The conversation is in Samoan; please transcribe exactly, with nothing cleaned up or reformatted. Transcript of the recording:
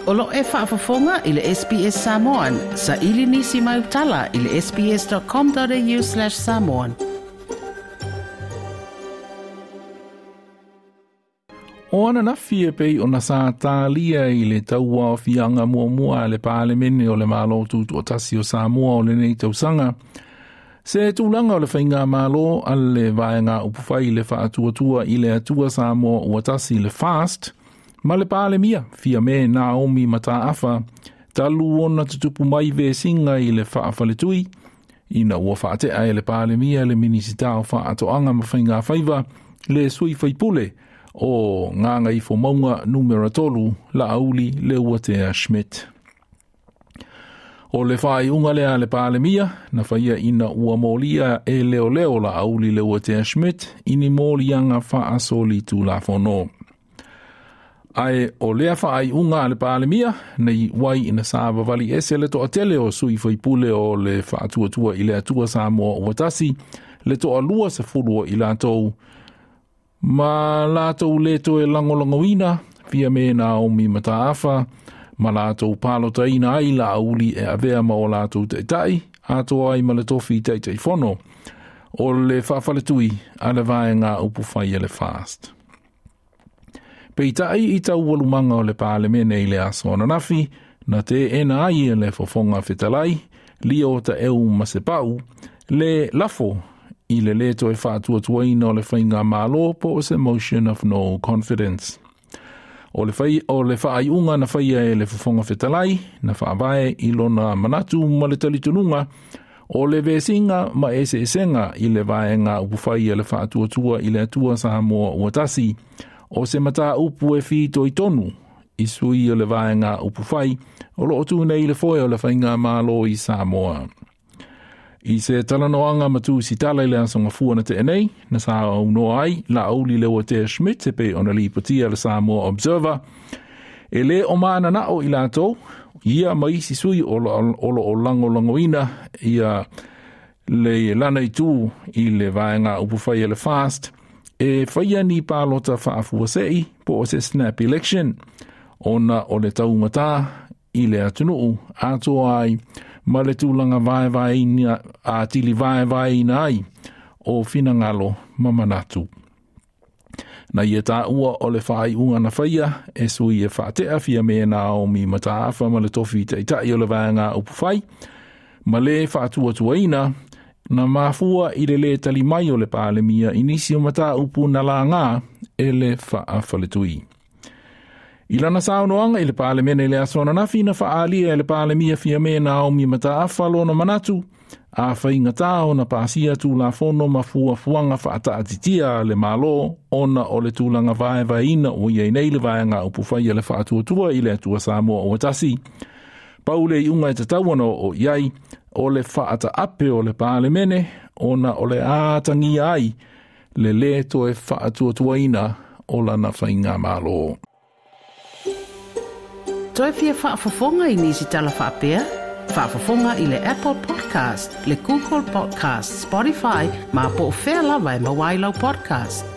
O lo e faafofoga i le S B S Samoan, sa ili nisi mai utala i le sbs.com.au slash samoan. O ananafi e pei ona sa tālia i le taua o fianga muamua le Palemene o le Malo Tutoatasi o Samoa o lenei tausaga. Se tulaga o le faiga malo a le vaega upufai le faatuatua i le Atua Samoa ua tasi le FAST, ma le Palemia fia me Naomi Mataafa, talu ona tutupu mai vesinga i le faafaletui, ina ua faatea e le Palemia le Minisita o Faatoaga ma Faiga Faiva, le sui faipule o Gagaifomauga numera tolu Laauli Leuatea Schmidt. O le whaaiunga lea le Palemia, na whaia ina ua molia e leo leo Laauli Leuatea Schmidt ini molianga faasoli tulafono. Ae o lea whaaiunga a le Palemia, nei wai ina sa vavali ese le toatele o sui faipule o le faatuatua i le Atua Samoa ua tasi, le toalua se fulu i latou, ma latou le toe langolangoina, fia me Naomi Mataafa, ma latou palotaina ai Laauli e avea ma o latou taitai, atoa ai ma le tofi taitaifono, o le faafaletui a le vaega upufai e le FAST. Peitai i taualumanga o le Palemene i le aso ananafi, na te ena ai e le fofoga fetalai, Lio Taeu Masepau, le lafo i le le toe faatuatuaina o le faiga malo po o se motion of no confidence. O le, whai, o le whaaiunga na whaia e le fofoga fetalai, na whaavae i lona manatu ma le talitonuga, o le vesinga ma eseesenga i le vaega upufai e le faatuatua i le Atua Samoa ua tasi, o se mata upu e whito i tonu, i sui o le vaega upufai, o loo tu nei le foe o le whainga malo i Samoa. I se talanoanga matu si tala i le asonga fua na te enei, na sa aunoa ai, Laauli Leuatea Schmidt e pe ona lipotia le Samoa Observer, e le o maana nao i latou, ia ma isi sui o lo o langolangoina ia le lana i tū i le vaega upufai e le FAST, e whaia ni pālota faafuasei po o se snap election, ona o le taumata i le atunuu atoa ai ma le tulaga vaevaeina a tili vaevaeina ai o finagalo ma manatu. Na ia tāua o le whaaiunga na whaia e sui e whaatea fia me Naomi Mataafa ma le tofi taitai o le vaega upufai, ma le whaatuatuaina na mafua i le le tali mai o le Palemia i nisi o mataupu na lāngā e le faafaletui. I lana saunoaga i le Palemene i le aso ananafi na faaalia e le Palemia fia me Naomi Mataafa lona manatu, a whaingatā ona pāsia tulafono ma fuafuaga faataatitia le malo ona o le tulaga vaevaeina ua iai nei le vaega upufai a le faatuatua i le Atua Samoa ua tasi. Pau le iuga e tatau ona o iai o le faataape o le Palemene ona o le ātagia ai le lē toe faatuatuaina o lana faiga malo. Toe fia faafofoga i nisi tala faapea? Faafofoga i le Apple Podcast, le Google Podcast, Spotify, ma po o fea lava e maua ai lau podcast.